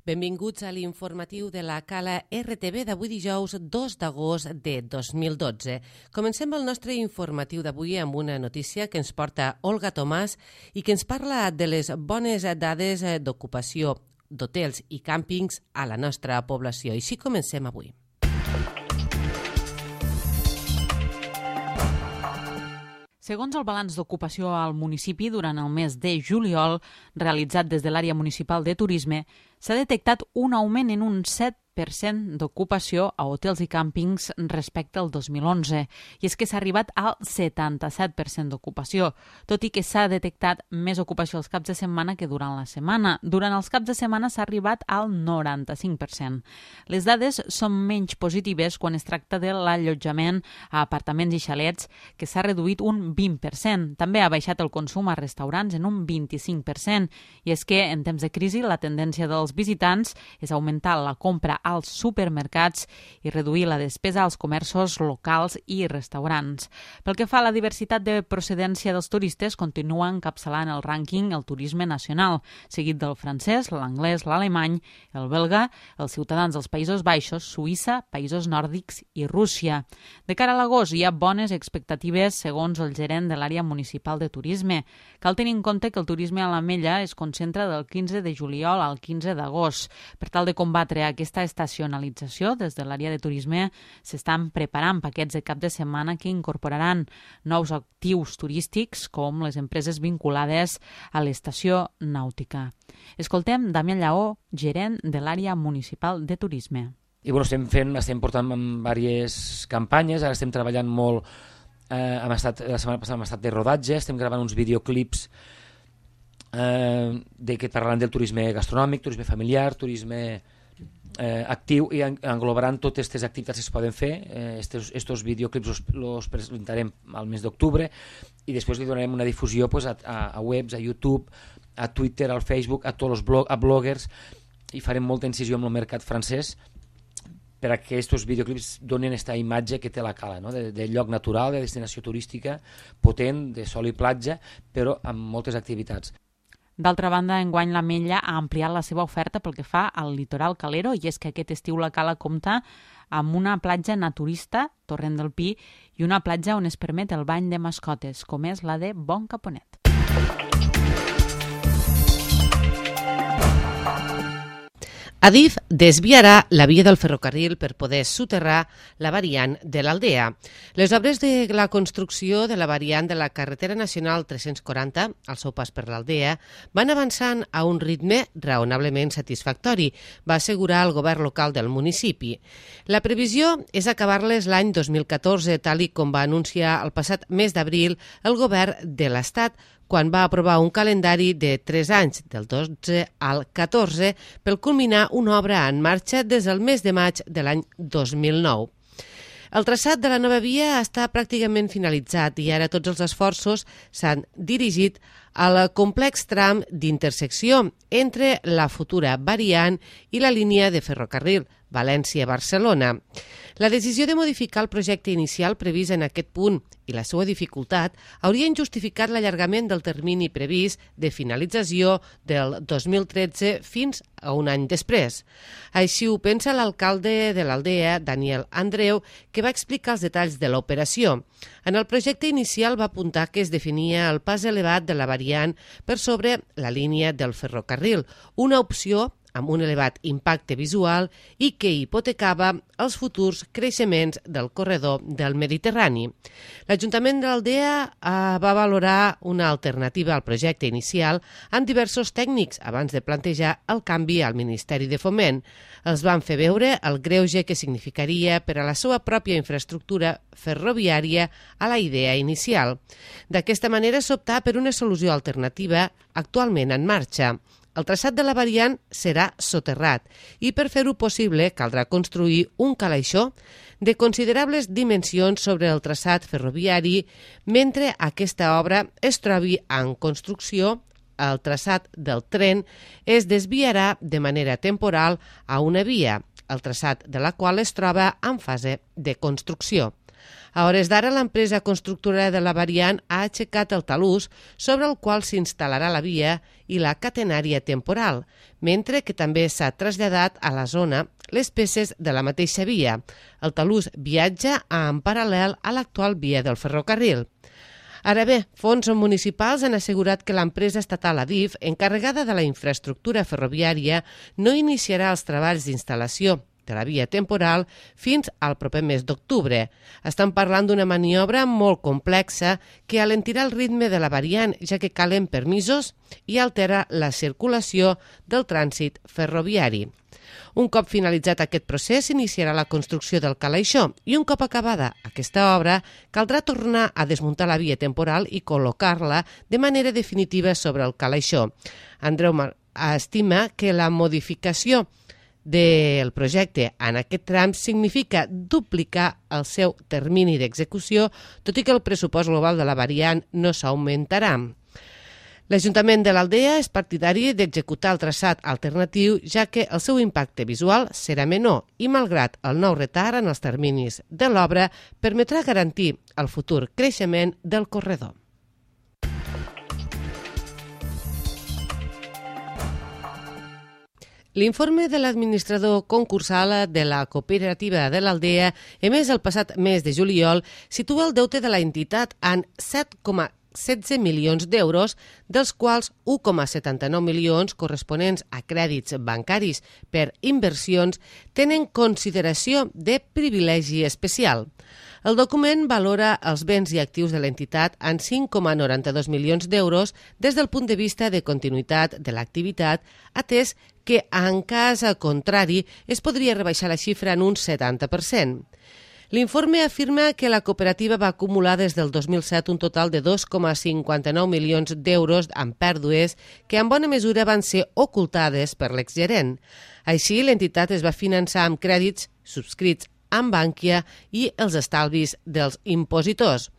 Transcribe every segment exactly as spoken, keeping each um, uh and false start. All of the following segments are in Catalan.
Benvinguts a l'informatiu de la Cala R T V d'avui dijous dos d'agost de dos mil dotze. Comencem el nostre informatiu d'avui amb una notícia que ens porta Olga Tomàs i que ens parla de les bones dades d'ocupació d'hotels i càmpings a la nostra població. I així comencem avui. Segons el balanç d'ocupació al municipi durant el mes de juliol, realitzat des de l'àrea municipal de turisme, s'ha detectat un augment en un set per cent d'ocupació a hotels i càmpings respecte al dos mil onze. I és que s'ha arribat al setanta-set per cent d'ocupació, tot i que s'ha detectat més ocupació els caps de setmana que durant la setmana. Durant els caps de setmana s'ha arribat al noranta-cinc per cent. Les dades són menys positives quan es tracta de l'allotjament a apartaments i xalets, que s'ha reduït un vint per cent. També ha baixat el consum a restaurants en un vint-i-cinc per cent. I és que en temps de crisi la tendència dels visitants és augmentar la compra als supermercats i reduir la despesa als comerços locals i restaurants. Pel que fa a la diversitat de procedència dels turistes, continua encapçalant el rànquing el turisme nacional, seguit del francès, l'anglès, l'alemany, el belga, els ciutadans dels Països Baixos, Suïssa, països nòrdics i Rússia. De cara a l'agost hi ha bones expectatives segons el gerent de l'àrea municipal de turisme. Cal tenir en compte que el turisme a l'Ametlla es concentra del quinze de juliol al quinze d'agost. Per tal de combatre aquesta estacionalització, des de l'àrea de turisme s'estan preparant paquets de cap de setmana que incorporaran nous actius turístics com les empreses vinculades a l'estació nàutica. Escoltem Damià Lleó, gerent de l'àrea municipal de turisme. I bueno, estem fent, estem portant diverses campanyes, ara estem treballant molt, eh, hem estat, la setmana passada hem estat de rodatge, estem gravant uns videoclips eh, de que parlant del turisme gastronòmic, turisme familiar, turisme Eh, actiu, i englobaran totes aquestes activitats que es poden fer. Eh, estos, estos videoclips los, los presentarem al mes d'octubre i després li donarem una difusió pues, a, a, a webs, a YouTube, a Twitter, al Facebook, a tots els blog, a bloggers, i farem molta incisió amb el mercat francès per a que aquests videoclips donin aquesta imatge que té la Cala, no? de, de lloc natural, de destinació turística potent, de sol i platja, però amb moltes activitats. D'altra banda, enguany l'Ametlla ha ampliat la seva oferta pel que fa al litoral calero, i és que aquest estiu la Cala compta amb una platja naturista, Torrent del Pi, i una platja on es permet el bany de mascotes, com és la de Bon Caponet. Adif desviarà la via del ferrocarril per poder soterrar la variant de l'Aldea. Les obres de la construcció de la variant de la carretera nacional tres-cents quaranta, al seu pas per l'Aldea, van avançant a un ritme raonablement satisfactori, va assegurar el govern local del municipi. La previsió és acabar-les l'any dos mil catorze, tal i com va anunciar el passat mes d'abril el govern de l'Estat, quan va aprovar un calendari de tres anys, del dotze al catorze, per culminar una obra en marxa des del mes de maig de l'any dos mil nou. El traçat de la nova via està pràcticament finalitzat i ara tots els esforços s'han dirigit al complex tram d'intersecció entre la futura variant i la línia de ferrocarril València-Barcelona. La decisió de modificar el projecte inicial previst en aquest punt i la seva dificultat haurien justificat l'allargament del termini previst de finalització del dos mil tretze fins a un any després. Així ho pensa l'alcalde de l'Aldea, Daniel Andreu, que va explicar els detalls de l'operació. En el projecte inicial va apuntar que es definia el pas elevat de la variant per sobre la línia del ferrocarril, una opció amb un elevat impacte visual i que hipotecava els futurs creixements del corredor del Mediterrani. L'Ajuntament de l'Aldea va valorar una alternativa al projecte inicial amb diversos tècnics abans de plantejar el canvi al Ministeri de Foment. Els van fer veure el greuge que significaria per a la seva pròpia infraestructura ferroviària a la idea inicial. D'aquesta manera s'optà per una solució alternativa actualment en marxa. El traçat de la variant serà soterrat i per fer-ho possible caldrà construir un calaixó de considerables dimensions sobre el traçat ferroviari mentre aquesta obra es trobi en construcció. El traçat del tren es desviarà de manera temporal a una via, el traçat de la qual es troba en fase de construcció. A hores d'ara, l'empresa constructora de la variant ha aixecat el talús sobre el qual s'instal·larà la via i la catenària temporal, mentre que també s'ha traslladat a la zona les peces de la mateixa via. El talús viatja en paral·lel a l'actual via del ferrocarril. Ara bé, fons municipals han assegurat que l'empresa estatal Adif, encarregada de la infraestructura ferroviària, no iniciarà els treballs d'instal·lació de la via temporal fins al proper mes d'octubre. Estan parlant d'una maniobra molt complexa que alentirà el ritme de la variant, ja que calen permisos i altera la circulació del trànsit ferroviari. Un cop finalitzat aquest procés, s'iniciarà la construcció del calaixó i un cop acabada aquesta obra, caldrà tornar a desmuntar la via temporal i col·locar-la de manera definitiva sobre el calaixó. Andreu estima que la modificació del projecte en aquest tram significa duplicar el seu termini d'execució, tot i que el pressupost global de la variant no s'augmentarà. L'Ajuntament de l'Aldea és partidari d'executar el traçat alternatiu, ja que el seu impacte visual serà menor i, malgrat el nou retard en els terminis de l'obra, permetrà garantir el futur creixement del corredor. L'informe de l'administrador concursal de la cooperativa de l'Aldea, emès el passat mes de juliol, situa el deute de la entitat en set coma setze milions d'euros, dels quals u coma setanta-nou milions corresponents a crèdits bancaris per inversions tenen consideració de privilegi especial. El document valora els béns i actius de l'entitat en cinc coma noranta-dos milions d'euros des del punt de vista de continuïtat de l'activitat, atès que, en cas contrari, es podria rebaixar la xifra en un setanta per cent. L'informe afirma que la cooperativa va acumular des del dos mil set un total de dos coma cinquanta-nou milions d'euros en pèrdues que en bona mesura van ser ocultades per l'exgerent. Així, l'entitat es va finançar amb crèdits subscrits amb Bankia i els estalvis dels impositors.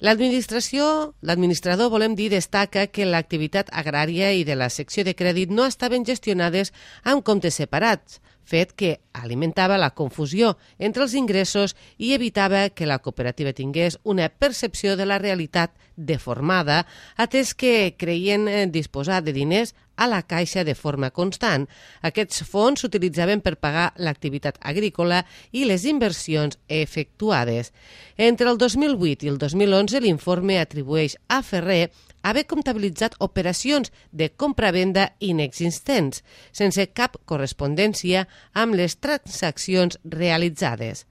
L'administració, l'administrador, volem dir, destaca que l'activitat agrària i de la secció de crèdit no estaven gestionades amb comptes separats, fet que alimentava la confusió entre els ingressos i evitava que la cooperativa tingués una percepció de la realitat deformada, atès que creien disposar de diners a la caixa de forma constant. Aquests fons s'utilitzaven per pagar l'activitat agrícola i les inversions efectuades. Entre el dos mil vuit i el dos mil onze, l'informe atribueix a Ferrer haver comptabilitzat operacions de compra-venda inexistents, sense cap correspondència amb les transaccions realitzades.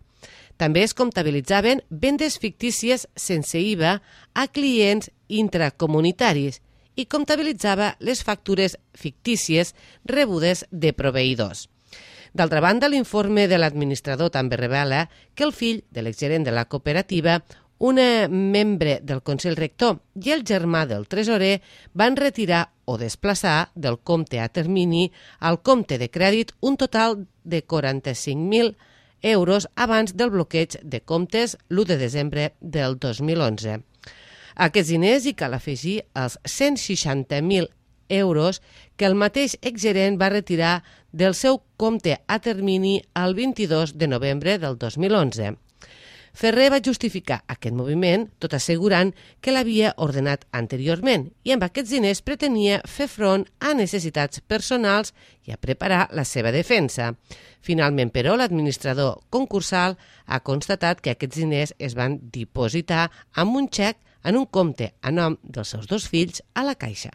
També es comptabilitzaven vendes fictícies sense I V A a clients intracomunitaris i comptabilitzava les factures fictícies rebudes de proveïdors. D'altra banda, l'informe de l'administrador també revela que el fill de l'exgerent de la cooperativa, una membre del Consell Rector i el germà del tresorer van retirar o desplaçar del compte a termini al compte de crèdit un total de quaranta-cinc mil euros abans del bloqueig de comptes l'u de desembre del dos mil onze. A aquests diners hi cal afegir els cent seixanta mil euros que el mateix exgerent va retirar del seu compte a termini el vint-i-dos de novembre del dos mil onze. Ferrer va justificar aquest moviment tot assegurant que l'havia ordenat anteriorment i amb aquests diners pretenia fer front a necessitats personals i a preparar la seva defensa. Finalment, però, l'administrador concursal ha constatat que aquests diners es van dipositar amb un xec en un compte a nom dels seus dos fills a la Caixa.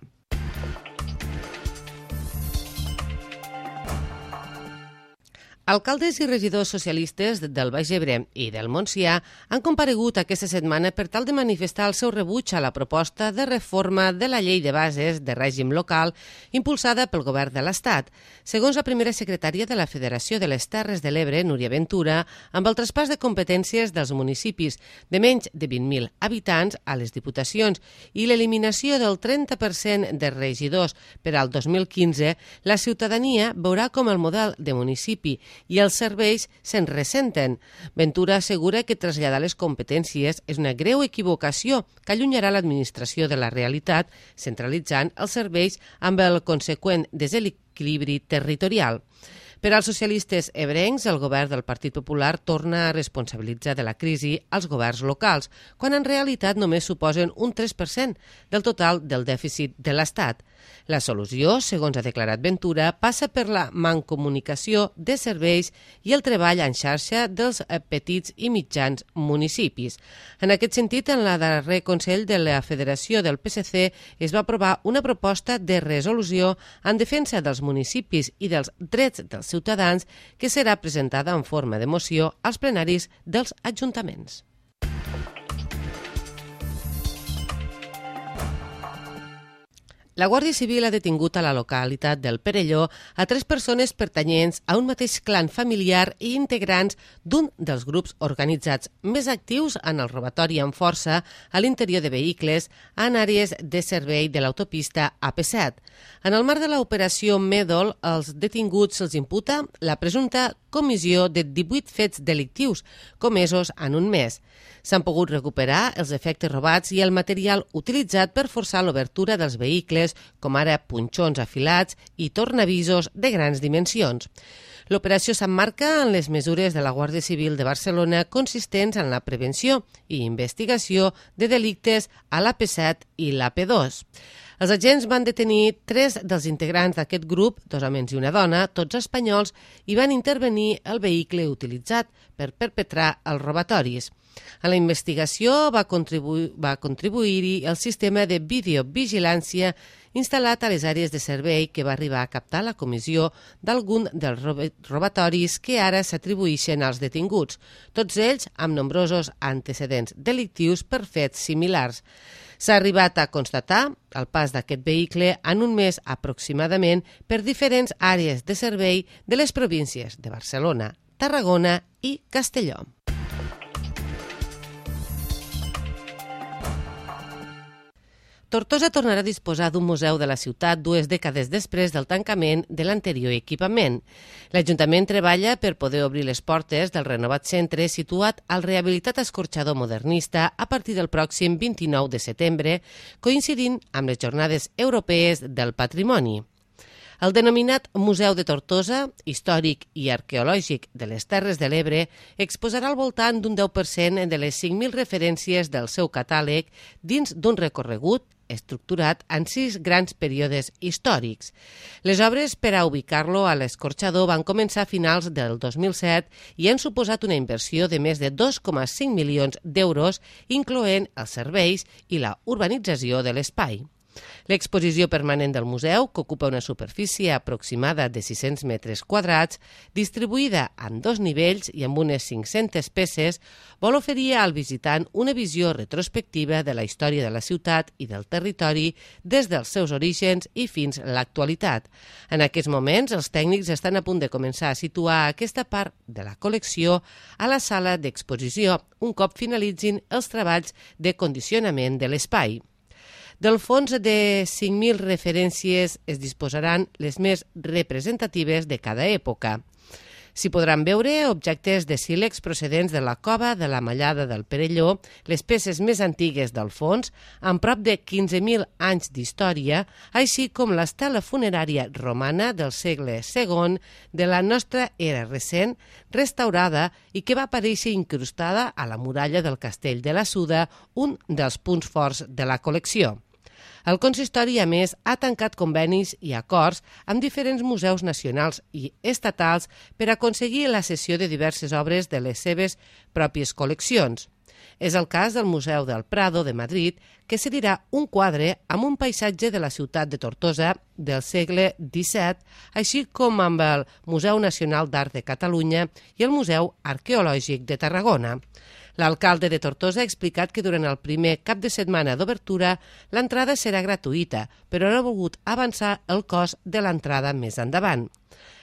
Alcaldes i regidors socialistes del Baix Ebre i del Montsià han comparegut aquesta setmana per tal de manifestar el seu rebuig a la proposta de reforma de la llei de bases de règim local impulsada pel govern de l'Estat. Segons la primera secretària de la Federació de les Terres de l'Ebre, Núria Ventura, amb el traspàs de competències dels municipis de menys de vint mil habitants a les diputacions i l'eliminació del trenta per cent de regidors per al dos mil quinze, la ciutadania veurà com el model de municipi i els serveis se'n ressenten. Ventura assegura que traslladar les competències és una greu equivocació que allunyarà l'administració de la realitat, centralitzant els serveis amb el conseqüent desequilibri territorial. Per als socialistes ebrencs, el govern del Partit Popular torna a responsabilitzar de la crisi als governs locals, quan en realitat només suposen un tres per cent del total del dèficit de l'Estat. La solució, segons ha declarat Ventura, passa per la mancomunicació de serveis i el treball en xarxa dels petits i mitjans municipis. En aquest sentit, en la darrer Consell de la Federació del P S C es va aprovar una proposta de resolució en defensa dels municipis i dels drets dels ciutadans que serà presentada en forma de moció als plenaris dels ajuntaments. La Guàrdia Civil ha detingut a la localitat del Perelló a tres persones pertanyents a un mateix clan familiar i integrants d'un dels grups organitzats més actius en el robatori amb força a l'interior de vehicles en àrees de servei de l'autopista A P set. En el marc de l'operació Mèdol, als detinguts se'ls imputa la presumpta comissió de divuit fets delictius comesos en un mes. S'han pogut recuperar els efectes robats i el material utilitzat per forçar l'obertura dels vehicles, com ara punxons afilats i tornavisos de grans dimensions. L'operació s'emmarca en les mesures de la Guàrdia Civil de Barcelona consistents en la prevenció i investigació de delictes a l'A P set i l'A P dos. Els agents van detenir tres dels integrants d'aquest grup, dos homes i una dona, tots espanyols, i van intervenir el vehicle utilitzat per perpetrar els robatoris. En la investigació va contribuir, va contribuir-hi el sistema de videovigilància instal·lat a les àrees de servei que va arribar a captar la comissió d'algun dels robatoris que ara s'atribueixen als detinguts, tots ells amb nombrosos antecedents delictius per fets similars. S'ha arribat a constatar el pas d'aquest vehicle en un mes aproximadament per diferents àrees de servei de les províncies de Barcelona, Tarragona i Castelló. Tortosa tornarà a disposar d'un museu de la ciutat dues dècades després del tancament de l'anterior equipament. L'Ajuntament treballa per poder obrir les portes del renovat centre situat al rehabilitat escorxador modernista a partir del pròxim vint-i-nou de setembre, coincidint amb les Jornades Europees del Patrimoni. El denominat Museu de Tortosa, històric i arqueològic de les Terres de l'Ebre, exposarà al voltant d'un deu per cent de les cinc mil referències del seu catàleg dins d'un recorregut estructurat en sis grans períodes històrics. Les obres per a ubicar-lo a l'escorxador van començar a finals del dos mil set i han suposat una inversió de més de dos coma cinc milions d'euros, incloent els serveis i la urbanització de l'espai. L'exposició permanent del museu, que ocupa una superfície aproximada de sis-cents metres quadrats, distribuïda en dos nivells i amb unes cinc-centes peces, vol oferir al visitant una visió retrospectiva de la història de la ciutat i del territori des dels seus orígens i fins a l'actualitat. En aquests moments, els tècnics estan a punt de començar a situar aquesta part de la col·lecció a la sala d'exposició, un cop finalitzin els treballs de condicionament de l'espai. Del fons de cinc mil referències es disposaran les més representatives de cada època. S'hi podran veure objectes de sílex procedents de la cova de la Mallada del Perelló, les peces més antigues del fons, amb prop de quinze mil anys d'història, així com l'estela funerària romana del segle segon de la nostra era recent, restaurada i que va aparèixer incrustada a la muralla del Castell de la Suda, un dels punts forts de la col·lecció. El consistori, a més, ha tancat convenis i acords amb diferents museus nacionals i estatals per aconseguir la cessió de diverses obres de les seves pròpies col·leccions. És el cas del Museu del Prado de Madrid, que cedirà un quadre amb un paisatge de la ciutat de Tortosa del segle disset, així com amb el Museu Nacional d'Art de Catalunya i el Museu Arqueològic de Tarragona. L'alcalde de Tortosa ha explicat que durant el primer cap de setmana d'obertura l'entrada serà gratuïta, però no ha volgut avançar el cost de l'entrada més endavant.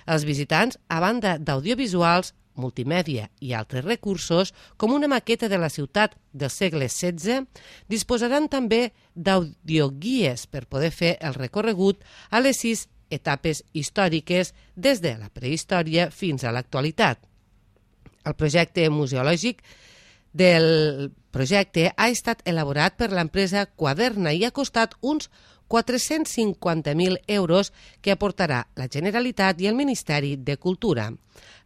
Els visitants, a banda d'audiovisuals, multimèdia i altres recursos, com una maqueta de la ciutat del segle setze, disposaran també d'audioguies per poder fer el recorregut a les sis etapes històriques des de la prehistòria fins a l'actualitat. El projecte museològic del projecte ha estat elaborat per l'empresa Quaderna i ha costat uns quatre-cents cinquanta mil euros que aportarà la Generalitat i el Ministeri de Cultura.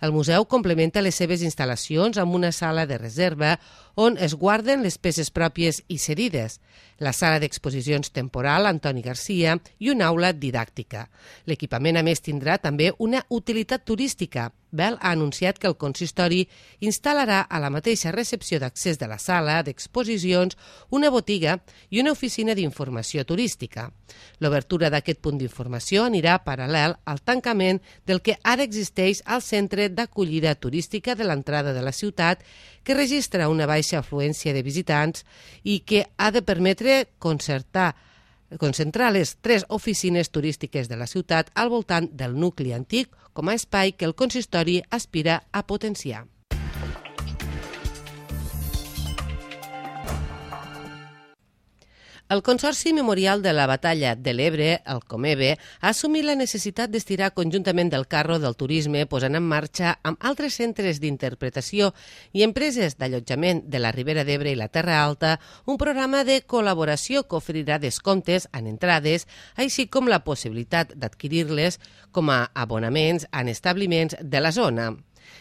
El museu complementa les seves instal·lacions amb una sala de reserva on es guarden les peces pròpies i cedides, la sala d'exposicions temporal Antoni Garcia i una aula didàctica. L'equipament, a més, tindrà també una utilitat turística. Bell ha anunciat que el consistori instal·larà a la mateixa recepció d'accés de la sala d'exposicions una botiga i una oficina d'informació turística. L'obertura d'aquest punt d'informació anirà paral·lel al tancament del que ara existeix al centre d'acollida turística de l'entrada de la ciutat, que registra una baixa afluència de visitants i que ha de permetre concertar concentrar les tres oficines turístiques de la ciutat al voltant del nucli antic com a espai que el consistori aspira a potenciar. El Consorci Memorial de la Batalla de l'Ebre, el Comebe, ha assumit la necessitat d'estirar conjuntament del carro del turisme, posant en marxa amb altres centres d'interpretació i empreses d'allotjament de la Ribera d'Ebre i la Terra Alta un programa de col·laboració que oferirà descomptes en entrades, així com la possibilitat d'adquirir-les com a abonaments en establiments de la zona.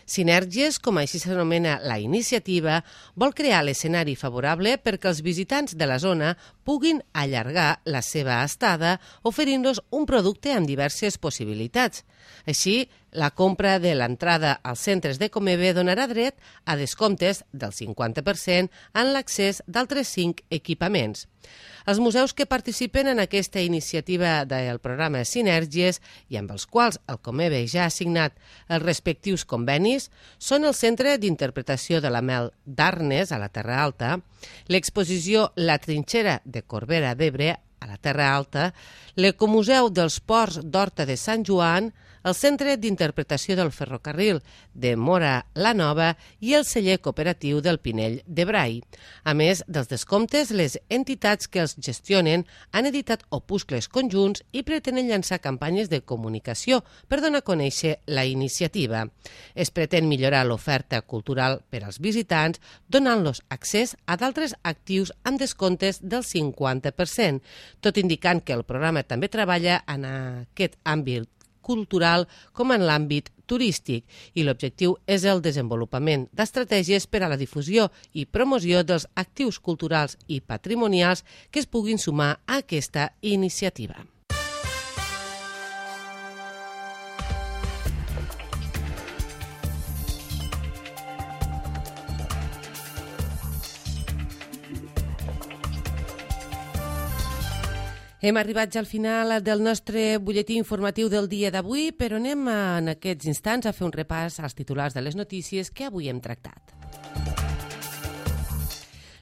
Sinergies, com així s'anomena la iniciativa, vol crear l'escenari favorable perquè els visitants de la zona puguin allargar la seva estada oferint-los un producte amb diverses possibilitats. Així, la compra de l'entrada als centres de Comebe donarà dret a descomptes del cinquanta per cent en l'accés d'altres cinc equipaments. Els museus que participen en aquesta iniciativa del programa Sinergies i amb els quals el Comebe ja ha signat els respectius convenis són el Centre d'Interpretació de la Mel d'Arnes, a la Terra Alta, l'exposició La Trinxera de Corbera d'Ebre, a la Terra Alta, l'Ecomuseu dels Ports d'Horta de Sant Joan, el Centre d'Interpretació del Ferrocarril de Móra la Nova i el celler cooperatiu del Pinell de Brai. A més dels descomptes, les entitats que els gestionen han editat opuscles conjunts i pretenen llançar campanyes de comunicació per donar a conèixer la iniciativa. Es pretén millorar l'oferta cultural per als visitants, donant-los accés a d'altres actius amb descomptes del cinquanta per cent, tot indicant que el programa també treballa en aquest àmbit cultural com en l'àmbit turístic i l'objectiu és el desenvolupament d'estratègies per a la difusió i promoció dels actius culturals i patrimonials que es puguin sumar a aquesta iniciativa. Hem arribat ja al final del nostre butlletí informatiu del dia d'avui, però anem en aquests instants a fer un repàs als titulars de les notícies que avui hem tractat.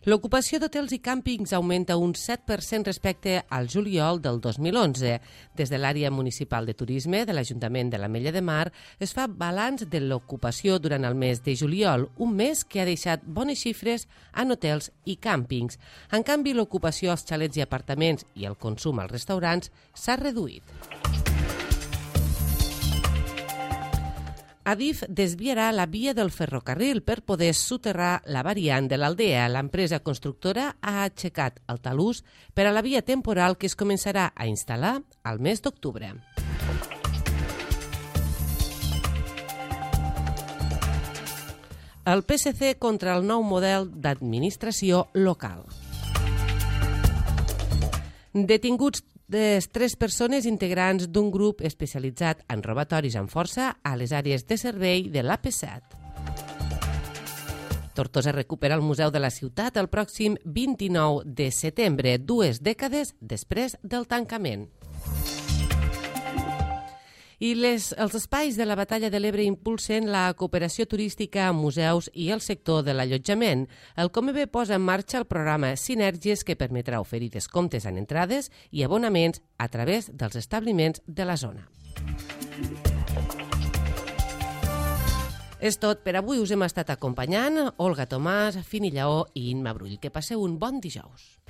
L'ocupació d'hotels i càmpings augmenta un set per cent respecte al juliol del dos mil onze. Des de l'àrea municipal de turisme de l'Ajuntament de l'Ametlla de Mar es fa balanç de l'ocupació durant el mes de juliol, un mes que ha deixat bones xifres en hotels i càmpings. En canvi, l'ocupació als xalets i apartaments i el consum als restaurants s'ha reduït. Adif desviarà la via del ferrocarril per poder soterrar la variant de l'Aldea. L'empresa constructora ha aixecat el talús per a la via temporal que es començarà a instal·lar al mes d'octubre. El P S C contra el nou model d'administració local. Detinguts les tres persones integrants d'un grup especialitzat en robatoris amb força a les àrees de servei de l'A P set. Tortosa recupera el Museu de la Ciutat el pròxim vint-i-nou de setembre, dues dècades després del tancament. I les, els espais de la Batalla de l'Ebre impulsen la cooperació turística amb museus i el sector de l'allotjament. El Comebe posa en marxa el programa Sinergies que permetrà oferir descomptes en entrades i abonaments a través dels establiments de la zona. És tot per avui. Us hem estat acompanyant Olga Tomàs, Fini Lleó i Imma Brull. Que passeu un bon dijous.